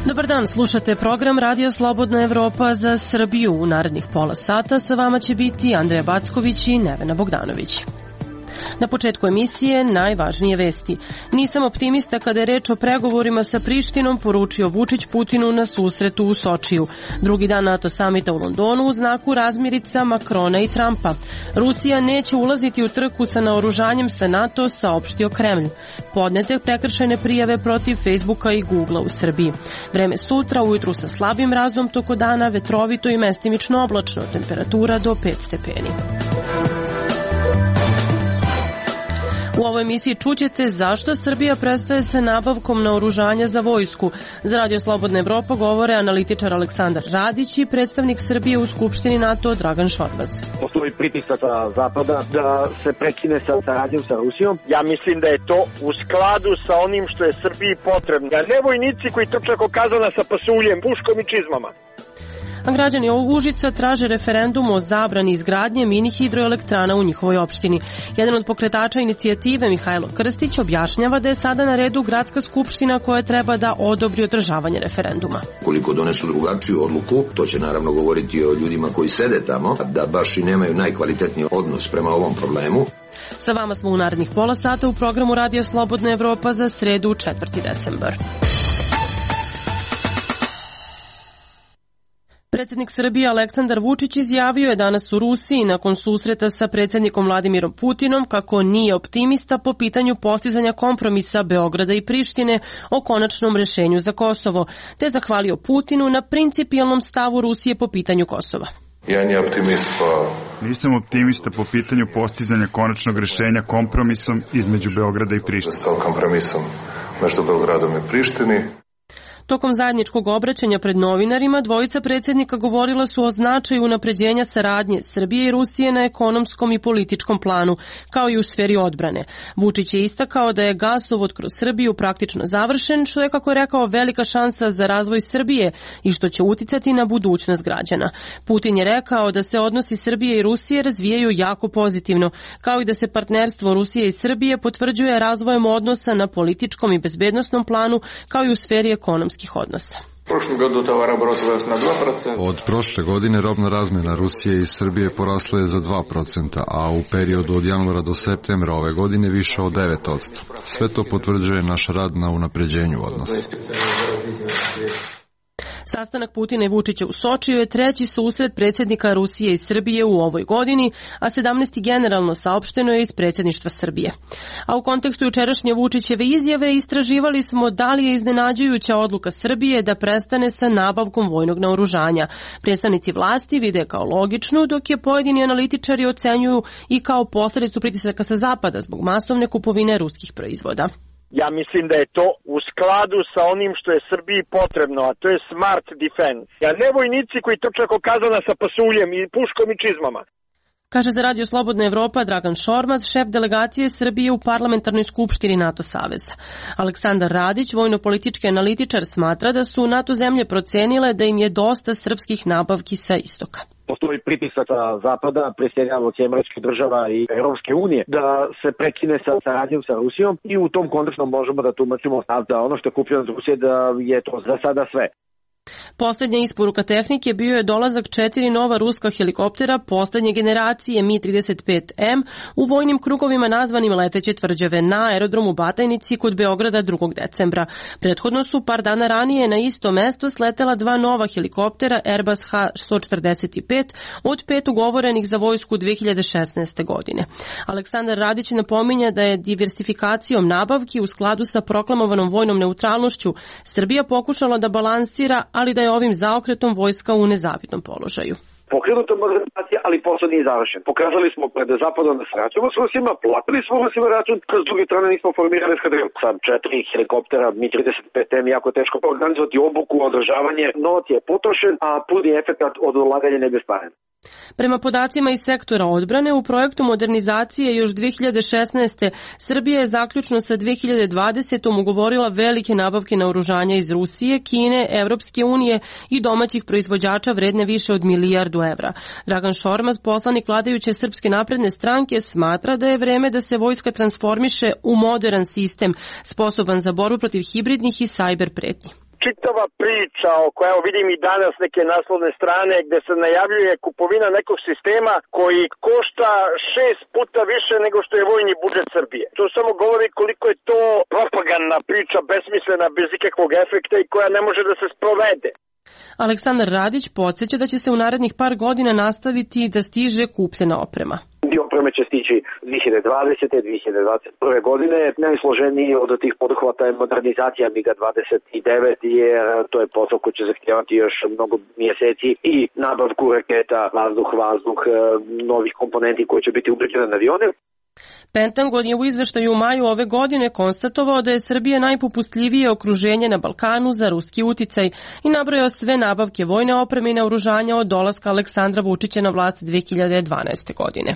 Dobar dan, slušate program Radija Slobodna Evropa za Srbiju. U narednih pola sata sa vama će biti Andreja Backović i Nevena Bogdanović. Na početku emisije najvažnije vesti. Nisam optimista kada je reč o pregovorima sa Prištinom, poručio Vučić Putinu na susretu u Sočiju. Drugi dan NATO samita u Londonu u znaku razmirica Makrona i Trumpa. Rusija neće ulaziti u trku sa naoružanjem sa NATO, saopštio Kremlj. Podnete prekršajne prijave protiv Facebooka i Googlea u Srbiji. Vreme sutra, ujutru sa slabim mrazom, toko dana vetrovito i mestimično oblačno, temperatura do 5 stepeni. U ovoj emisiji čućete zašto Srbija prestaje sa nabavkom naoružanja za vojsku. Za Radio Slobodna Evropa govore analitičar Aleksandar Radić i predstavnik Srbije u Skupštini NATO Dragan Šormaz. Postoji pritisak sa Zapada da se prekine sa saradnjom sa Rusijom. Ja mislim da je to u skladu sa onim što je Srbiji potrebno. Ne vojnici koji trče oko kazana sa pasuljem, puškom i čizmama. A građani Užica traže referendum o zabrani izgradnje mini hidroelektrana u njihovoj opštini. Jedan od pokretača inicijative, Mihajlo Krstić, objašnjava da je sada na redu gradska skupština koja treba da odobri održavanje referenduma. Koliko donesu drugačiju odluku, to će naravno govoriti o ljudima koji sede tamo, da baš i nemaju najkvalitetniji odnos prema ovom problemu. Sa vama smo u narednih pola sata u programu Radija Slobodna Evropa za sredu 4. decembar. Predsjednik Srbije Aleksandar Vučić izjavio je danas u Rusiji nakon susreta sa predsjednikom Vladimirom Putinom kako nije optimista po pitanju postizanja kompromisa Beograda i Prištine o konačnom rešenju za Kosovo, te zahvalio Putinu na principijelnom stavu Rusije po pitanju Kosova. Nisam optimista po pitanju postizanja konačnog rešenja kompromisom između Beograda i Prištine. Kompromisom među Beogradom i Prištini. Tokom zajedničkog obraćanja pred novinarima, dvojica predsjednika govorila su o značaju unapređenja saradnje Srbije i Rusije na ekonomskom i političkom planu, kao i u sferi odbrane. Vučić je istakao da je gasovod kroz Srbiju praktično završen, što je, kako je rekao, velika šansa za razvoj Srbije i što će uticati na budućnost građana. Putin je rekao da se odnosi Srbije i Rusije razvijaju jako pozitivno, kao i da se partnerstvo Rusije i Srbije potvrđuje razvojem odnosa na političkom i bezbednosnom planu, kao i u sferi ekonomskih odnosa. Od prošle godine robna razmjena Rusije i Srbije porasla je za 2%, a u periodu od januara do septembra ove godine više od 9%. Sve to potvrđuje naš rad na unapređenju odnosa. Sastanak Putina i Vučića u Sočiju je treći susret predsjednika Rusije i Srbije u ovoj godini, a 17. generalno saopšteno je iz predsjedništva Srbije. A u kontekstu jučerašnje Vučićeve izjave istraživali smo da li je iznenađujuća odluka Srbije da prestane sa nabavkom vojnog naoružanja. Predstavnici vlasti vide kao logičnu, dok je pojedini analitičari ocenjuju i kao posljedicu pritisaka sa zapada zbog masovne kupovine ruskih proizvoda. Ja mislim da je to u skladu sa onim što je Srbiji potrebno, a to je smart defense. Ne vojnici koji trče oko kazana sa pasuljem i puškom i čizmama. Kaže za Radio Slobodna Evropa Dragan Šormaz, šef delegacije Srbije u parlamentarnoj skupštini NATO saveza. Aleksandar Radić, vojno-politički analitičar, smatra da su NATO zemlje procenile da im je dosta srpskih nabavki sa istoka. Postoji pritisak sa Zapada, pre svega od Američkih država i Europske unije, da se prekine sa saradnjom sa Rusijom i u tom kontekstu možemo da tumačimo da ono što je kupljeno od Rusije da je to za sada sve. Poslednja isporuka tehnike bio je dolazak 4 nova ruska helikoptera poslednje generacije Mi-35M u vojnim krugovima nazvanim leteće tvrđave na aerodromu Batajnici kod Beograda 2. decembra. Prethodno su par dana ranije na isto mesto sletela 2 nova helikoptera Airbus H-145 od 5 ugovorenih za vojsku 2016. godine. Aleksandar Radić napominja da je diversifikacijom nabavki u skladu sa proklamovanom vojnom neutralnošću Srbija pokušala da balansira, ali da je ovim zaokretom vojska u nezavidnom položaju. pokrenuta modernizacija, ali posao nije završen. Pokazali smo pred Zapadom da sarađujemo s Rusima, platili smo Rusima račun, s druge strane nismo formirali eskadrilu. Sa 4 helikoptera Mi-35M jako teško organizovati obuku, održavanje, novac je potrošen, a puni efekat od ulaganja ne bestvaren. Prema podacima iz sektora odbrane, u projektu modernizacije još 2016. Srbija je zaključno sa 2020. ugovorila velike nabavke naoružanja iz Rusije, Kine, Evropske unije i domaćih proizvođača vredne više od milijardu evra. Dragan Šormaz, poslanik vladajuće Srpske napredne stranke, smatra da je vreme da se vojska transformiše u modern sistem, sposoban za borbu protiv hibridnih i sajber pretnji. Čitava priča o koja vidim i danas neke naslovne strane gde se najavljuje kupovina nekog sistema koji košta 6 puta više nego što je vojni budžet Srbije. To samo govori koliko je to propagandna priča, besmislena, bez ikakvog efekta i koja ne može da se sprovede. Aleksandar Radić podsjeća da će se u narednih par godina nastaviti da stiže kupljena oprema. Dio opreme će stići 2020. 2021. godine. Najsloženiji od tih poduhvata je modernizacija MiG-29, jer to je posao koji će zahtijevati još mnogo mjeseci i nabavku raketa, vazduh, novih komponenti koji će biti ugrađene na avione. Pentagon je u izveštaju u maju ove godine konstatovao da je Srbija najpopustljivije okruženje na Balkanu za ruski uticaj i nabrojao sve nabavke vojne opreme i naoružanja od dolaska Aleksandra Vučića na vlast 2012. godine.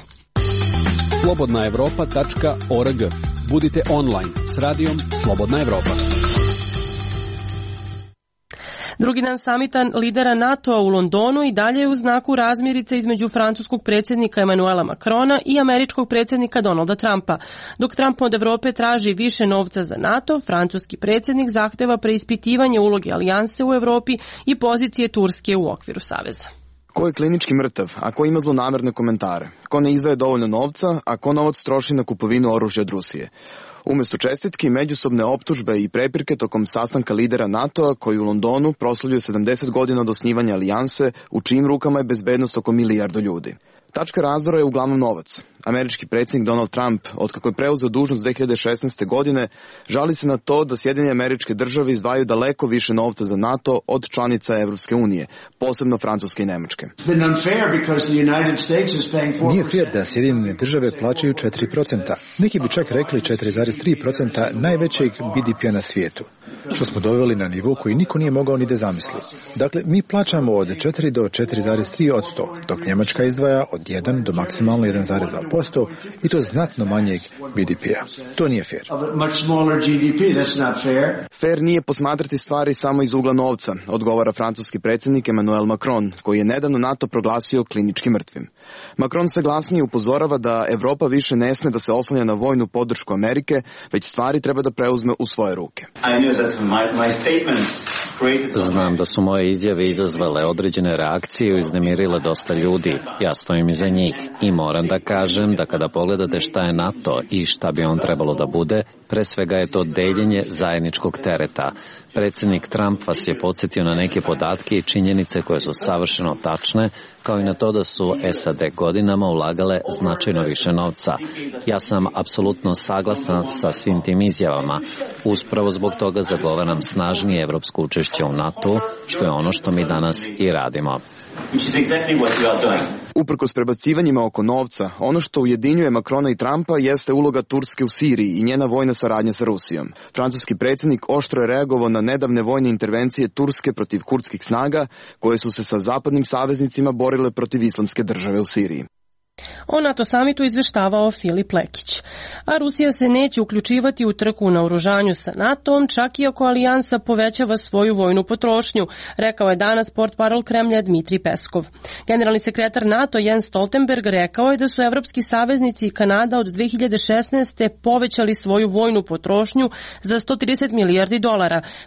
slobodnaevropa.org. Budite online s radijom Slobodna Evropa. Drugi dan samita lidera NATO-a u Londonu i dalje je u znaku razmirice između francuskog predsjednika Emanuela Macrona i američkog predsjednika Donalda Trumpa. Dok Trump od Evrope traži više novca za NATO, francuski predsjednik zahteva preispitivanje uloge alijanse u Evropi i pozicije Turske u okviru saveza. Ko je klinički mrtav, a ko ima zlonamerne komentare? Ko ne izdvaja dovoljno novca, a ko novac troši na kupovinu oružja od Rusije? Umjesto čestitki, međusobne optužbe i prepirke tokom sastanka lidera NATO-a koji u Londonu proslavljuje 70 godina od osnivanja alijanse, u čijim rukama je bezbednost oko milijardu ljudi. Tačka razdora je uglavnom novac. Američki predsjednik Donald Trump, otkako je preuzeo dužnost 2016. godine, žali se na to da Sjedinjene Američke Države izdvajaju daleko više novca za NATO od članica Evropske unije, posebno Francuske i Nemačke. Nije fair da Sjedinjene Države plaćaju 4%. Neki bi čak rekli 4,3% najvećeg BDP-a na svijetu, što smo doveli na nivo koji niko nije mogao ni da zamisli. Dakle, mi plaćamo od 4 do 4,3%, dok Njemačka izdvaja od 1 do maksimalno 1,2% i to znatno manjeg BDP-a. To nije fair. Fair nije posmatrati stvari samo iz ugla novca, odgovara francuski predsjednik Emmanuel Macron, koji je nedavno NATO proglasio klinički mrtvim. Macron sve glasnije upozorava da Evropa više ne sme da se oslanja na vojnu podršku Amerike, već stvari treba da preuzme u svoje ruke. Znam da su moje izjave izazvale određene reakcije i uznemirile dosta ljudi. Ja stojim iza njih i moram da kažem da kada pogledate šta je NATO i šta bi on trebalo da bude, pre svega je to deljenje zajedničkog tereta. Predsjednik Trump vas je podsjetio na neke podatke i činjenice koje su savršeno tačne, kao i na to da su SAD godinama ulagale značajno više novca. Ja sam apsolutno saglasan sa svim tim izjavama. Uspravo zbog toga zagovaram snažnije evropsko učešće u NATO, što je ono što mi danas i radimo. Uprkos prebacivanjima oko novca, ono što ujedinjuje Macrona i Trumpa jeste uloga Turske u Siriji i njena vojna saradnja sa Rusijom. Francuski predsjednik oštro je reagovao na nedavne vojne intervencije Turske protiv kurdskih snaga, koje su se sa zapadnim saveznicima borile protiv islamske države u Siriji. O NATO samitu izveštavao Filip Lekić. A Rusija se neće uključivati u trku na oružanju sa NATO-om, čak i ako alijansa povećava svoju vojnu potrošnju, rekao je danas portparol Kremlja Dmitrij Peskov. Generalni sekretar NATO Jens Stoltenberg rekao je da su evropski saveznici i Kanada od 2016. povećali svoju vojnu potrošnju za $130 milijardi.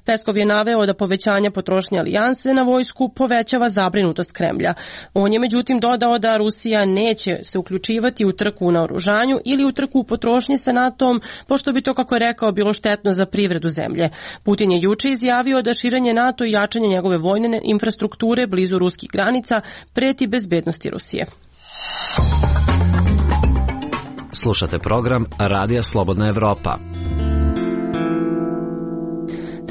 Peskov je naveo da povećanje potrošnje alijanse na vojsku povećava zabrinutost Kremlja. On je međutim dodao da Rusija neće se uključivati u trku na oružanju ili u trku u potrošnji sa NATO-om, pošto bi to, kako je rekao, bilo štetno za privredu zemlje. Putin je juče izjavio da širenje NATO i jačanje njegove vojne infrastrukture blizu ruskih granica preti bezbednosti Rusije. Slušate program Radija Slobodna Evropa.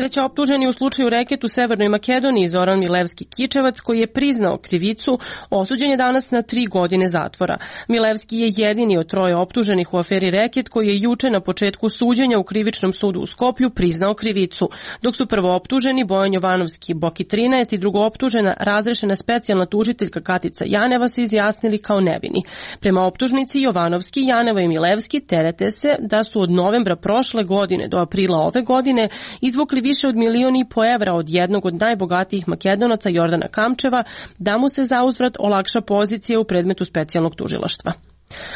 Treći optuženi u slučaju reket u Severnoj Makedoniji, Zoran Milevski Kičevac, koji je priznao krivicu, osuđen je danas na 3 godine zatvora. Milevski je jedini od 3 optuženih u aferi reket koji je juče na početku suđenja u krivičnom sudu u Skoplju priznao krivicu, dok su prvo optuženi Bojan Jovanovski Boki 13 i drugo optužena razrešena specijalna tužiteljka Katica Janeva se izjasnili kao nevini. Prema optužnici Jovanovski, Janeva i Milevski terete se da su od novembra prošle godine do aprila ove godine izvukli više od 1,5 miliona evra od jednog od najbogatijih Makedonaca Jordana Kamčeva da mu se zauzvrat olakša pozicija u predmetu specijalnog tužilaštva.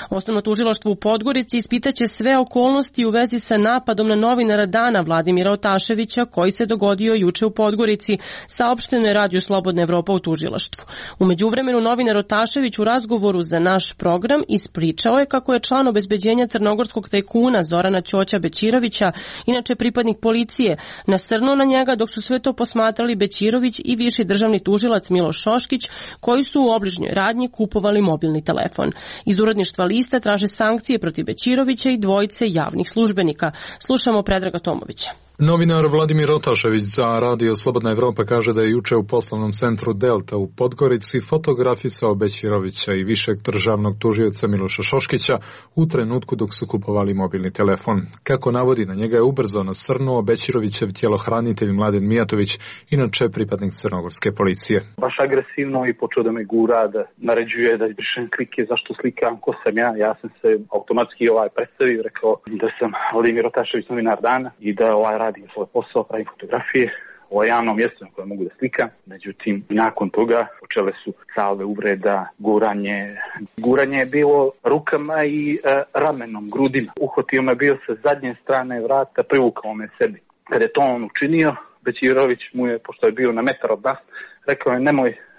Osnovno tužilaštvo u Podgorici ispitaće sve okolnosti u vezi sa napadom na novinara Dana Vladimira Otaševića koji se dogodio juče u Podgorici, saopšteno je Radio Slobodna Evropa u tužilaštvu. U međuvremenu novinar Otašević u razgovoru za naš program ispričao je kako je član obezbeđenja crnogorskog tajkuna Zorana Ćoća Bećirovića, inače pripadnik policije, nasrnuo na njega dok su sve to posmatrali Bećirović i viši državni tužilac Miloš Šoškić, koji su u obližnjoj radnji kupovali mobilni telefon. Iz uredništva Lista traže sankcije protiv Bećirovića i dvojice javnih službenika. Slušamo Predraga Tomovića. Novinar Vladimir Otašević za Radio Slobodna Evropa kaže da je juče u poslovnom centru Delta u Podgorici fotografisao Bećirovića i višeg državnog tužioca Miloša Šoškića u trenutku dok su kupovali mobilni telefon. Kako navodi, na njega je ubrzo nasrnuo Bećirovićev tjelohranitelj Mladen Mijatović, inače pripadnik crnogorske policije. Baš agresivno i počeo da me gura, da naređuje da izbrišem klike, zašto slikam, ko sam ja. Ja sam se automatski predstavio, rekao da sam Vladimir Otašević, novinar Dana i da radim svoj posao, pravim fotografije o javnom mjestu na koje mogu da slikam. Međutim, nakon toga počele su salve uvreda, guranje je bilo rukama i ramenom, grudima. Uhvatio me bio sa zadnje strane vrata, privukao me sebi. Kada je to on učinio, Bećirović mu je, pošto je bio na metar od nas, rekao je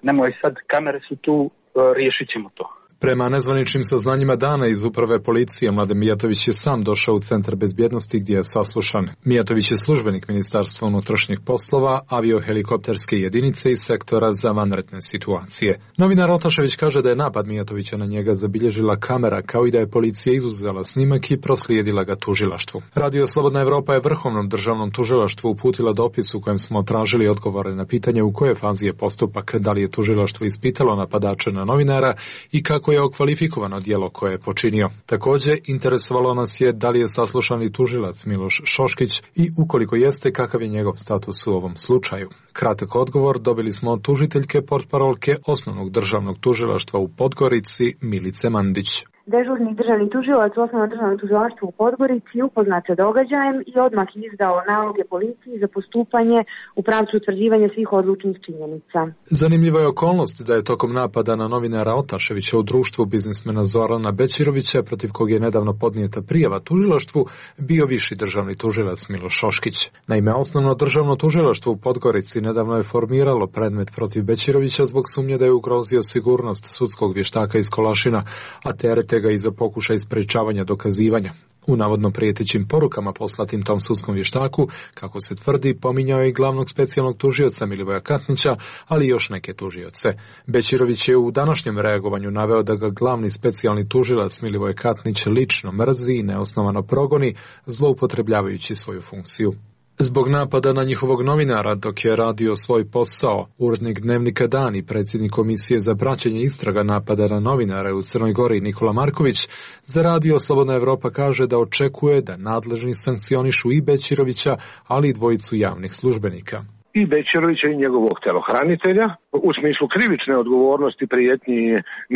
nemoj sad, kamere su tu, riješit ćemo to. Prema nezvaničnim saznanjima dana iz uprave policije, Mladen Mijatović je sam došao u centar bezbjednosti gdje je saslušan. Mijatović je službenik Ministarstva unutrašnjih poslova, aviohelikopterske jedinice iz sektora za vanredne situacije. Novinar Otašević kaže da je napad Mijatovića na njega zabilježila kamera, kao i da je policija izuzela snimak i proslijedila ga tužilaštvu. Radio Slobodna Evropa je Vrhovnom državnom tužilaštvu uputila dopis u kojem smo tražili odgovore na pitanje u kojoj fazi je postupak, da li je tužilaštvo ispitalo napadača na novinara i kako je okvalifikovano djelo koje je počinio. Također, interesovalo nas je da li je saslušani tužilac Miloš Šoškić i ukoliko jeste, kakav je njegov status u ovom slučaju. Kratak odgovor dobili smo od tužiteljke portparolke Osnovnog državnog tužilaštva u Podgorici Milice Mandić. Dežurni državni tužilac u Osnovnom državnom tužilaštvu u Podgorici upoznat sa događajem i odmah izdao naloge policiji za postupanje u pravcu utvrđivanja svih odlučnih činjenica. Zanimljiva je okolnost da je tokom napada na novinara Otaševića u društvu biznismena Zorana Bećirovića, protiv kog je nedavno podnijeta prijava tužilaštvu, bio viši državni tužilac Miloš Šoškić. Naime, Osnovno državno tužilaštvo u Podgorici nedavno je formiralo predmet protiv Bećirovića zbog sumnje da je ugrozio sigurnost sudskog vještaka iz Kolašina, a terete ga i za pokušaj sprečavanja dokazivanja. U navodno prijetećim porukama poslatim tom sudskom vještaku, kako se tvrdi, pominjao je i glavnog specijalnog tužioca Milivoja Katnića, ali i još neke tužioce. Bećirović je u današnjem reagovanju naveo da ga glavni specijalni tužilac Milivoj Katnić lično mrzi i neosnovano progoni, zloupotrebljavajući svoju funkciju. Zbog napada na njihovog novinara dok je radio svoj posao, urednik dnevnika Dan i predsjednik komisije za praćenje istraga napada na novinare u Crnoj Gori Nikola Marković, za Radio Slobodna Evropa kaže da očekuje da nadležni sankcionišu i Bećirovića, ali i dvojicu javnih službenika. I Bećirovića i njegovog telohranitelja u smislu krivične odgovornosti, prijetnji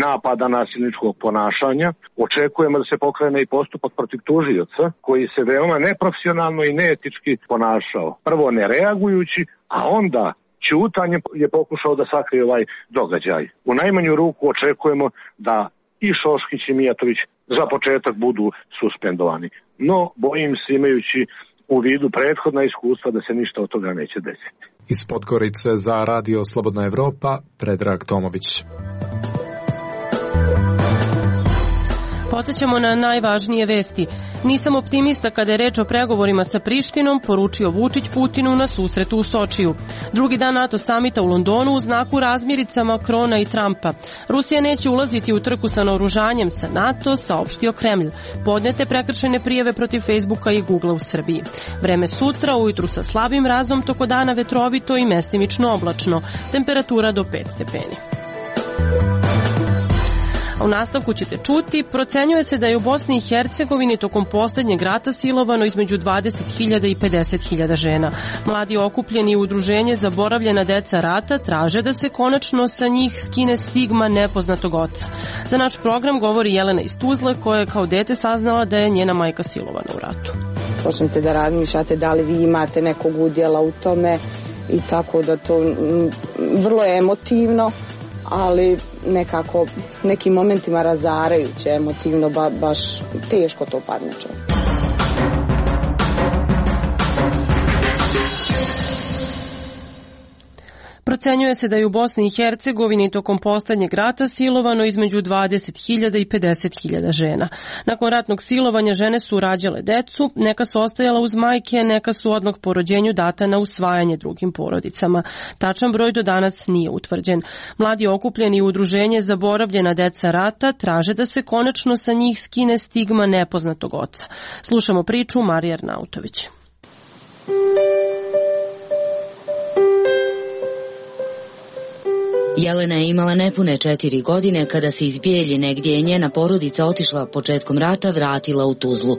napada, nasilničkog ponašanja. Očekujemo da se pokrene i postupak protiv tužioca koji se veoma neprofesionalno i neetički ponašao. Prvo ne reagujući, a onda ćutanjem je pokušao da sakrije ovaj događaj. U najmanju ruku očekujemo da i Šoškić i Mijatović za početak budu suspendovani. No, bojim se, imajući u vidu prethodna iskustva, da se ništa od toga neće desiti. Iz Podgorice za Radio Slobodna Evropa, Predrag Tomović. Podsećamo na najvažnije vesti. Nisam optimista kada je reč o pregovorima sa Prištinom, poručio Vučić Putinu na susretu u Sočiju. Drugi dan NATO samita u Londonu u znaku razmirica Makrona i Trumpa. Rusija neće ulaziti u trku sa naoružanjem sa NATO, saopštio Kremlj. Podnete prekršajne prijave protiv Facebooka i Googlea u Srbiji. Vreme sutra, ujutru sa slabim mrazom, toko dana vetrovito i mestimično oblačno. Temperatura do 5 stepeni. U nastavku ćete čuti, procenjuje se da je u Bosni i Hercegovini tokom poslednjeg rata silovano između 20.000 i 50.000 žena. Mladi okupljeni u udruženje Zaboravljena deca rata traže da se konačno sa njih skine stigma nepoznatog oca. Za naš program govori Jelena iz Tuzle, koja je kao dete saznala da je njena majka silovana u ratu. Počnete da razmišljate da li vi imate nekog udjela u tome i tako da to vrlo je emotivno, ali nekako nekim momentima razarajuće, emotivno, baš teško to padne čovjek. Procenjuje se da je u Bosni i Hercegovini tokom poslednjeg rata silovano između 20.000 i 50.000 žena. Nakon ratnog silovanja žene su rađale decu, neka su ostajala uz majke, neka su odmah po rođenju data na usvajanje drugim porodicama. Tačan broj do danas nije utvrđen. Mladi okupljeni u udruženje Zaboravljena deca rata traže da se konačno sa njih skine stigma nepoznatog oca. Slušamo priču Marije Arnautović. Jelena je imala nepune 4 godine kada se iz Bijeljine, gdje je njena porodica otišla početkom rata, vratila u Tuzlu.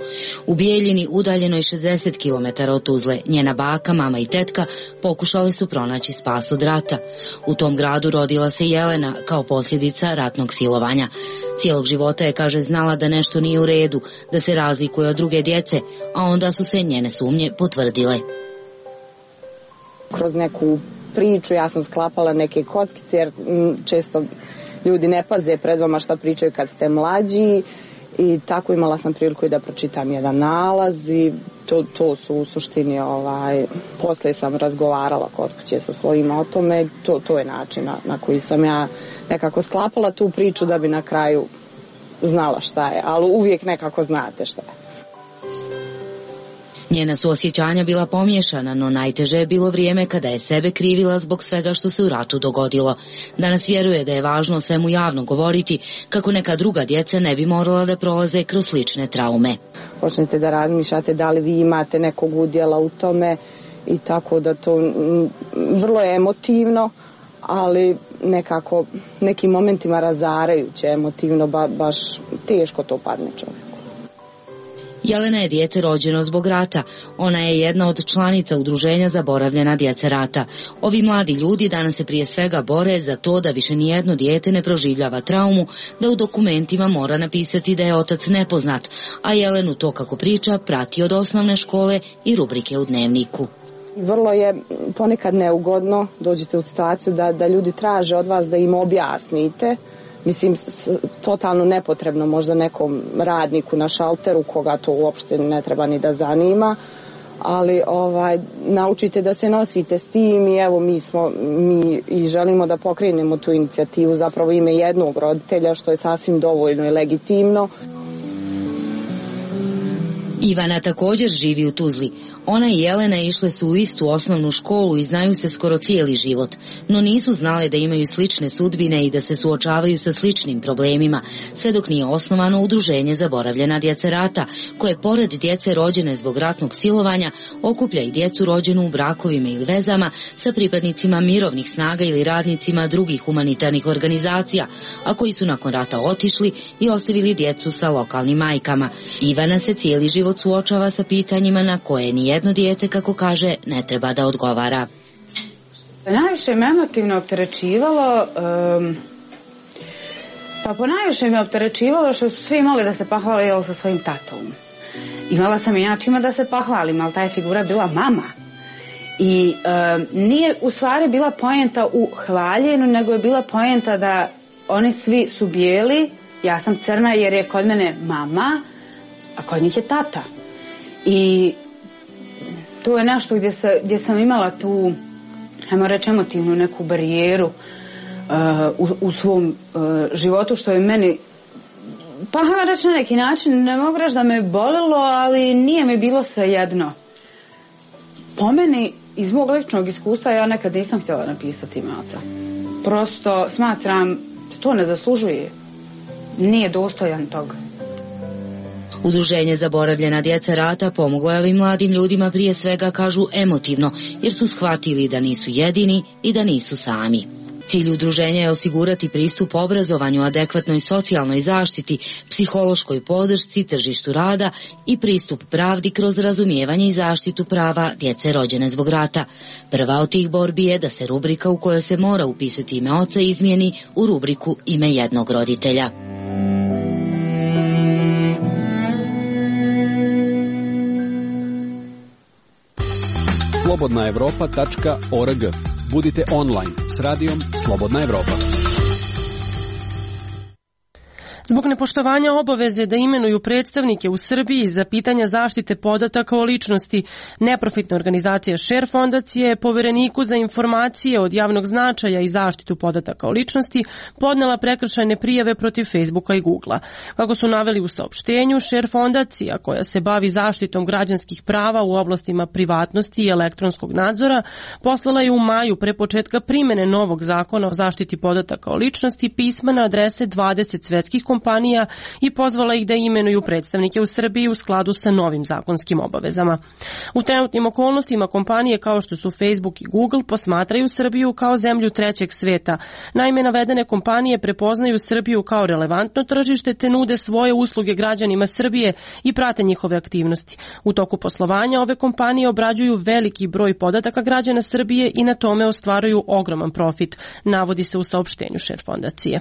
U Bijeljini, udaljenoj 60 km od Tuzle, njena baka, mama i tetka pokušali su pronaći spas od rata. U tom gradu rodila se Jelena kao posljedica ratnog silovanja. Cijelog života je, kaže, znala da nešto nije u redu, da se razlikuje od druge djece, a onda su se njene sumnje potvrdile. Kroz neku priču ja sam sklapala neke kockice, jer često ljudi ne paze pred vama šta pričaju kad ste mlađi, i tako imala sam priliku i da pročitam jedan nalaz i to su u suštini, poslije sam razgovarala kod kuće sa svojima o tome, to je način na koji sam ja nekako sklapala tu priču da bi na kraju znala šta je, ali uvijek nekako znate šta je. Njena su osjećanja bila pomiješana, no najteže je bilo vrijeme kada je sebe krivila zbog svega što se u ratu dogodilo. Danas vjeruje da je važno o svemu javno govoriti, kako neka druga djeca ne bi morala da prolaze kroz slične traume. Počnete da razmišljate da li vi imate nekog udjela u tome i tako da to vrlo je emotivno, ali nekako nekim momentima razarajuće, emotivno, baš teško to padne čovjek. Jelena je dijete rođeno zbog rata. Ona je jedna od članica udruženja Zaboravljena djeca rata. Ovi mladi ljudi danas se prije svega bore za to da više nijedno dijete ne proživljava traumu, da u dokumentima mora napisati da je otac nepoznat, a Jelenu to, kako priča, prati od osnovne škole i rubrike u dnevniku. Vrlo je ponekad neugodno, dođete u situaciju da ljudi traže od vas da im objasnite. Mislim, totalno nepotrebno možda nekom radniku na šalteru koga to uopšte ne treba ni da zanima, ali naučite da se nosite s tim i evo mi i želimo da pokrenemo tu inicijativu, zapravo ime jednog roditelja, što je sasvim dovoljno i legitimno. Ivana također živi u Tuzli. Ona i Jelena išle su u istu osnovnu školu i znaju se skoro cijeli život, no nisu znale da imaju slične sudbine i da se suočavaju sa sličnim problemima, sve dok nije osnovano udruženje Zaboravljena djeca rata, koje pored djece rođene zbog ratnog silovanja okuplja i djecu rođenu u brakovima ili vezama sa pripadnicima mirovnih snaga ili radnicima drugih humanitarnih organizacija, a koji su nakon rata otišli i ostavili djecu sa lokalnim majkama. Ivana se cijeli život suočava sa pitanjima na koje nijedno dijete, kako kaže, ne treba da odgovara. Najviše me emotivno opterećivalo, ponajviše me opterećivalo što su svi imali da se pohvale sa svojim tatom. Imala sam i ja čima da se pohvalim, ali ta je figura bila mama. I nije u stvari bila poenta u hvaljenju, nego je bila poenta da oni svi su bijeli, ja sam crna jer je kod mene mama, a kod njih je tata. I to je nešto gdje sam imala tu, ajmo reći, emotivnu neku barijeru u svom životu, što je meni Pa hajmo reći na neki način, ne mogu reći da me bolilo, ali nije mi bilo svejedno. Po meni, iz mog ličnog iskustva, ja nekad nisam htjela napisati ime oca. Prosto smatram da to ne zaslužuje. Nije dostojan toga. Udruženje Zaboravljena djeca rata pomoglo je ovim mladim ljudima prije svega, kažu, emotivno, jer su shvatili da nisu jedini i da nisu sami. Cilj udruženja je osigurati pristup obrazovanju, adekvatnoj socijalnoj zaštiti, psihološkoj podršci, tržištu rada i pristup pravdi kroz razumijevanje i zaštitu prava djece rođene zbog rata. Prva od tih borbi je da se rubrika u kojoj se mora upisati ime oca izmijeni u rubriku ime jednog roditelja. slobodnaevropa.org. Budite online s radijom Slobodna Evropa. Zbog nepoštovanja obaveze da imenuju predstavnike u Srbiji za pitanja zaštite podataka o ličnosti, neprofitna organizacija Share fondacije Povereniku za informacije od javnog značaja i zaštitu podataka o ličnosti podnela prekršajne prijave protiv Facebooka i Googlea. Kako su naveli u saopštenju, Share fondacija, koja se bavi zaštitom građanskih prava u oblastima privatnosti i elektronskog nadzora, poslala je u maju pre početka primene novog zakona o zaštiti podataka o ličnosti pisma na adrese 20 svetskih kompanija i pozvala ih da imenuju predstavnike u Srbiji u skladu sa novim zakonskim obavezama. U trenutnim okolnostima kompanije kao što su Facebook i Google posmatraju Srbiju kao zemlju trećeg sveta. Naime, navedene kompanije prepoznaju Srbiju kao relevantno tržište te nude svoje usluge građanima Srbije i prate njihove aktivnosti. U toku poslovanja ove kompanije obrađuju veliki broj podataka građana Srbije i na tome ostvaruju ogroman profit, navodi se u saopštenju Share fondacije.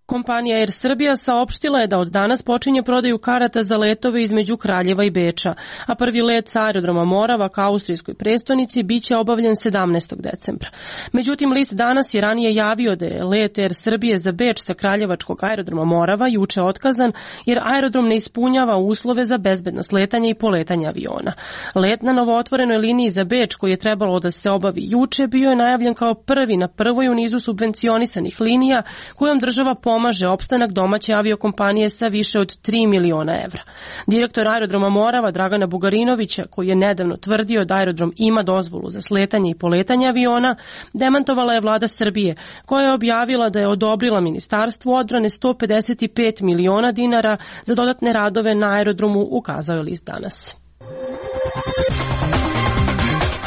Kompanija Air Srbija saopštila je da od danas počinje prodaju karata za letove između Kraljeva i Beča, a prvi let sa aerodroma Morava ka austrijskoj prestonici biće obavljen 17. decembra. Međutim, list Danas je ranije javio da je let Air Srbije za Beč sa kraljevačkog aerodroma Morava juče otkazan jer aerodrom ne ispunjava uslove za bezbedno sletanje i poletanje aviona. Let na novootvorenoj liniji za Beč, koji je trebalo da se obavi juče, bio je najavljen kao prvi na prvoj u nizu subvencionisanih linija kojom država pomaže opstanak domaće aviokompanije sa više od 3 miliona evra. Direktor aerodroma Morava Dragana Bugarinovića, koji je nedavno tvrdio da aerodrom ima dozvolu za sletanje i poletanje aviona, demantovala je vlada Srbije, koja je objavila da je odobrila Ministarstvu odbrane 155 miliona dinara za dodatne radove na aerodromu, ukazao je list Danas.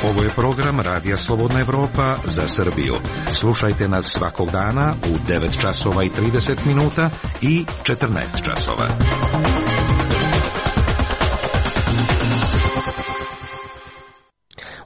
Ovo je program Radija Slobodna Evropa za Srbiju. Slušajte nas svakog dana u 9 časova i 30 minuta i 14 časova.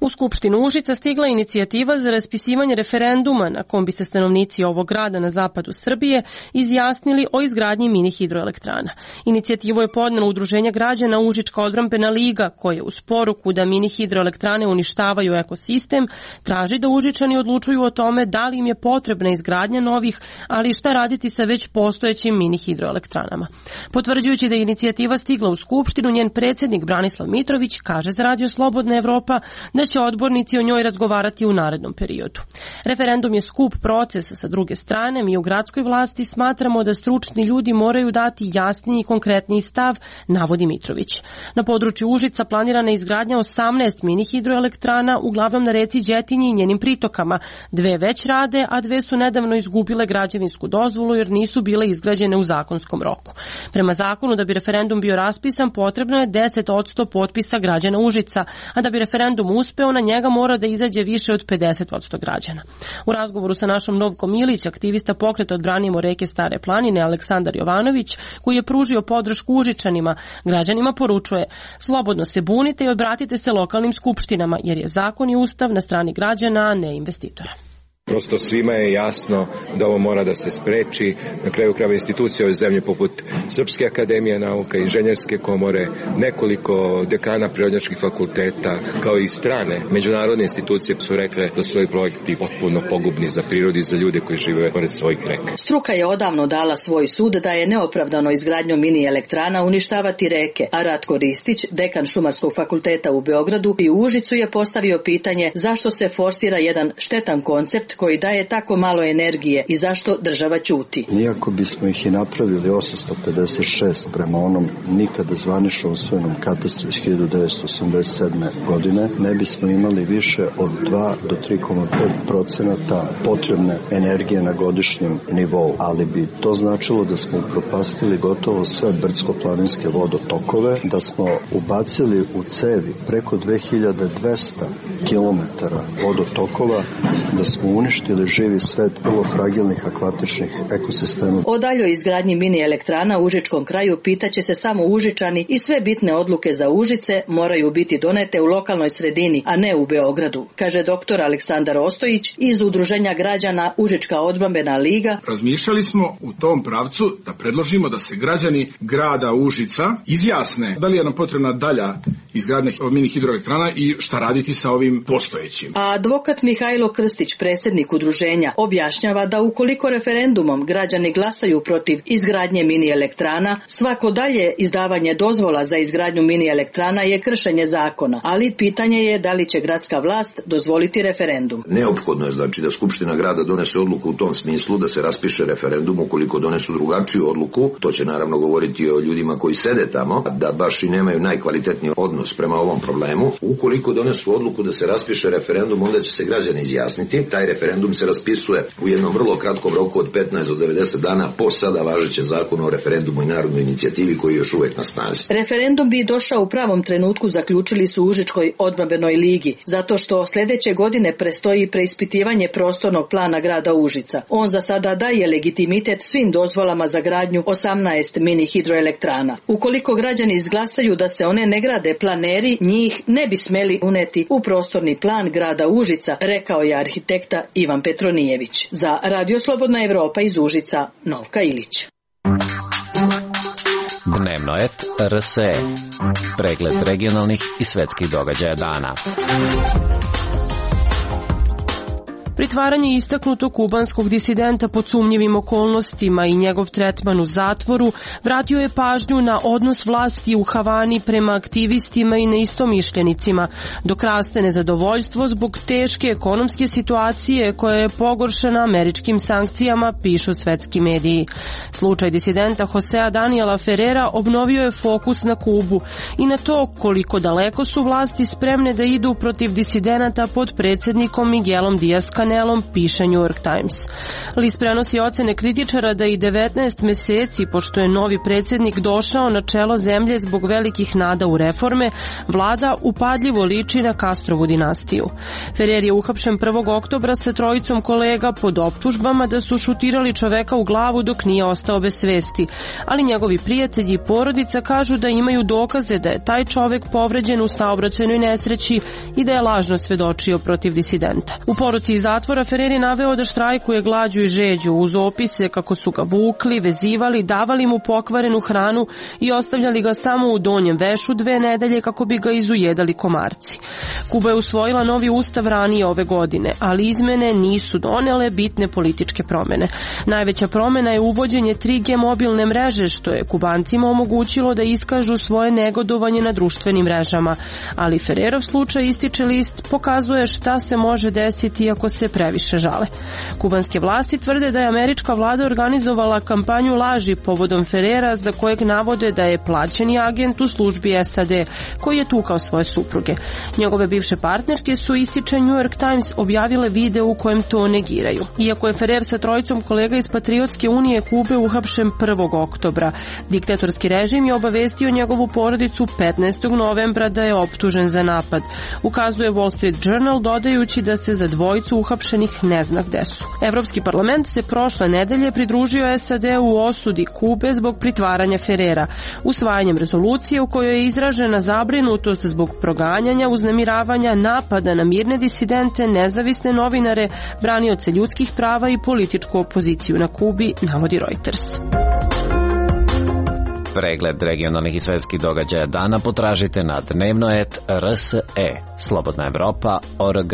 U Skupštinu Užica stigla inicijativa za raspisivanje referenduma na kom bi se stanovnici ovog grada na zapadu Srbije izjasnili o izgradnji mini hidroelektrana. Inicijativu je podnelo Udruženje građana Užička odbrambena liga, koje uz poruku da mini hidroelektrane uništavaju ekosistem traži da Užičani odlučuju o tome da li im je potrebna izgradnja novih, ali šta raditi sa već postojećim mini hidroelektranama. Potvrđujući da je inicijativa stigla u Skupštinu, njen predsjednik Branislav Mitrović kaže za Radio Slobodna Evropa da će odbornici o njoj razgovarati u narednom periodu. Referendum je skup procesa, sa druge strane, mi u gradskoj vlasti smatramo da stručni ljudi moraju dati jasniji i konkretniji stav, navodi Mitrović. Na području Užica planirana je izgradnja 18 mini hidroelektrana, uglavnom na reci Đetinji i njenim pritokama. 2 već rade, a 2 su nedavno izgubile građevinsku dozvolu jer nisu bile izgrađene u zakonskom roku. Prema zakonu, da bi referendum bio raspisan, potrebno je 10% potpisa građana Užica, a da bi referendum uspeo, na njega mora da izađe više od 50% građana. U razgovoru sa našom Novkom Ilić, aktivista pokreta Odbranimo reke Stare planine, Aleksandar Jovanović, koji je pružio podršku Užičanima, građanima poručuje: slobodno se bunite i obratite se lokalnim skupštinama, jer je zakon i ustav na strani građana, a ne investitora. Prosto svima je jasno da ovo mora da se spreči. Na kraju krajeva institucije ove zemlje poput Srpske akademije nauka, Inženjerske komore, nekoliko dekana prirodnjačkih fakulteta, kao i strane međunarodne institucije su rekle da su ovi projekti potpuno pogubni za prirodu i za ljude koji žive pored svojih reka. Struka je odavno dala svoj sud da je neopravdano izgradnjom mini elektrana uništavati reke, a Ratko Ristić, dekan Šumarskog fakulteta u Beogradu i u Užicu, je postavio pitanje zašto se forsira jedan štetan koncept koji daje tako malo energije i zašto država ćuti. Iako bismo ih i napravili 856 prema onom nikada zvanično usvojenom katastru iz 1987. godine, ne bismo imali više od 2 do 3,5% potrebne energije na godišnjem nivou, ali bi to značilo da smo upropastili gotovo sve brdsko-planinske vodotokove, da smo ubacili u cevi preko 2200 km vodotokova, da smo uništili živi svet vrlo fragilnih akvatičnih ekosistema. O daljoj izgradnji mini elektrana u Užičkom kraju pitaće se samo Užičani i sve bitne odluke za Užice moraju biti donete u lokalnoj sredini, a ne u Beogradu, kaže dr. Aleksandar Ostojić iz Udruženja građana Užička odbrambena liga. Razmišljali smo u tom pravcu da predložimo da se građani grada Užica izjasne da li je nam potrebna dalja izgradnja mini hidroelektrana i šta raditi sa ovim postojećim. A advokat Mihajlo Krstić, predsjednik udruženja, objašnjava da ukoliko referendumom građani glasaju protiv izgradnje mini elektrana, svako dalje izdavanje dozvola za izgradnju mini elektrana je kršenje zakona, ali pitanje je da li će gradska vlast dozvoliti referendum. Neophodno je znači da Skupština grada donese odluku u tom smislu da se raspiše referendum. Ukoliko donesu drugačiju odluku, to će naravno govoriti o ljudima koji sede tamo, da baš i nemaju najkvalitetniji odnos prema ovom problemu. Ukoliko donesu odluku da se raspiše referendum, onda će se građani izjasniti. Taj referendum se raspisuje u jednom vrlo kratkom roku od 15 do 90 dana po sada važećem zakonu o referendumu i narodnoj inicijativi koji je još uvek na snazi. Referendum bi došao u pravom trenutku, zaključili su u Užičkoj odbrambenoj ligi, zato što sljedeće godine prestoji preispitivanje prostornog plana grada Užica. On za sada daje legitimitet svim dozvolama za gradnju 18 mini hidroelektrana. Ukoliko građani izglasaju da se one ne grade, planeri njih ne bi smeli uneti u prostorni plan grada Užica, rekao je arhitekta Ivan Petronijević. Za Radio Slobodna Evropa iz Užica, Novka Ilić. Dnevnoet RSE. Pregled regionalnih i svetskih događaja dana. Pritvaranje istaknutog kubanskog disidenta pod sumnjivim okolnostima i njegov tretman u zatvoru vratio je pažnju na odnos vlasti u Havani prema aktivistima i neistomišljenicima, dok raste nezadovoljstvo zbog teške ekonomske situacije koja je pogoršana američkim sankcijama, pišu svetski mediji. Slučaj disidenta Josea Daniela Ferrera obnovio je fokus na Kubu i na to koliko daleko su vlasti spremne da idu protiv disidenata pod predsjednikom Miguelom Díaz-Canelom, piše New York Times. List prenosi ocene kritičara da i 19 meseci, pošto je novi predsjednik došao na čelo zemlje zbog velikih nada u reforme, vlada upadljivo liči na Castrovu dinastiju. Ferrer je uhapšen 1. oktobra sa trojicom kolega pod optužbama da su šutirali čoveka u glavu dok nije ostao bez svesti, ali njegovi prijatelji i porodica kažu da imaju dokaze da je taj čovek povređen u saobraćajnoj nesreći i da je lažno svedočio protiv disidenta. U poruci iz zatvora Ferrer je naveo da štrajkuje glađu i žeđu uz opise kako su ga vukli, vezivali, davali mu pokvarenu hranu i ostavljali ga samo u donjem vešu 2 nedelje kako bi ga izujedali komarci. Kuba je usvojila novi ustav ranije ove godine, ali izmene nisu donele bitne političke promene. Najveća promena je uvođenje 3G mobilne mreže, što je Kubancima omogućilo da iskažu svoje negodovanje na društvenim mrežama, ali Ferrerov slučaj, ističe list, pokazuje šta se može desiti ako se previše žale. Kubanske vlasti tvrde da je američka vlada organizovala kampanju laži povodom Ferrera, za kojeg navode da je plaćeni agent u službi SAD koji je tukao svoje supruge. Njegove bivše partnerke su, ističe New York Times, objavile video u kojem to negiraju. Iako je Ferrer sa trojicom kolega iz Patriotske unije Kube uhapšen 1. oktobra, diktatorski režim je obavestio njegovu porodicu 15. novembra da je optužen za napad. Ukazuje Wall Street Journal, dodajući da se za dvojicu uhapšenih ne zna gde su. Evropski parlament se prošle nedelje pridružio SAD u osudi Kube zbog pritvaranja Ferrera, usvajanjem rezolucije u kojoj je izražena zabrinutost zbog proganjanja, uznemiravanja, napada na mirne disidente, nezavisne novinare, branioce ljudskih prava i političku opoziciju na Kubi, navodi Reuters. Pregled regionalnih i svetskih događaja dana potražite na dnevnoet RSE, Slobodna Evropa.org.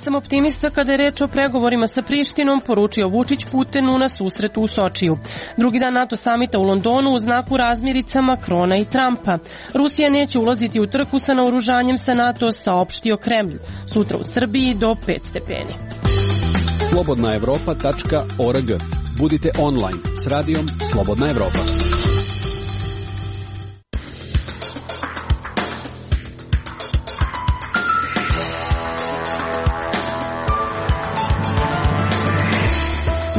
nisam optimista kada je reč o pregovorima sa Prištinom, poručio Vučić Putinu na susretu u Sočiju. Drugi dan NATO samita u Londonu u znaku razmirica Makrona i Trumpa. Rusija neće ulaziti u trku sa naoružanjem sa NATO, saopštio Kremlj. Sutra u Srbiji do 5 stepeni. Slobodnaevropa.org. Budite online s radijom Slobodna Evropa.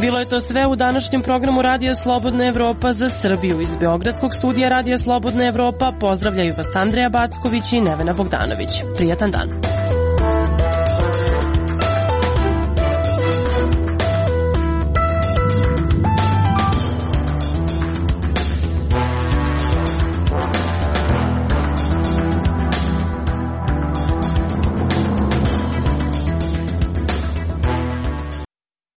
Bilo je to sve u današnjem programu Radija Slobodna Evropa za Srbiju. Iz Beogradskog studija Radija Slobodna Evropa pozdravljaju vas Andreja Backović i Nevena Bogdanović. Prijatan dan.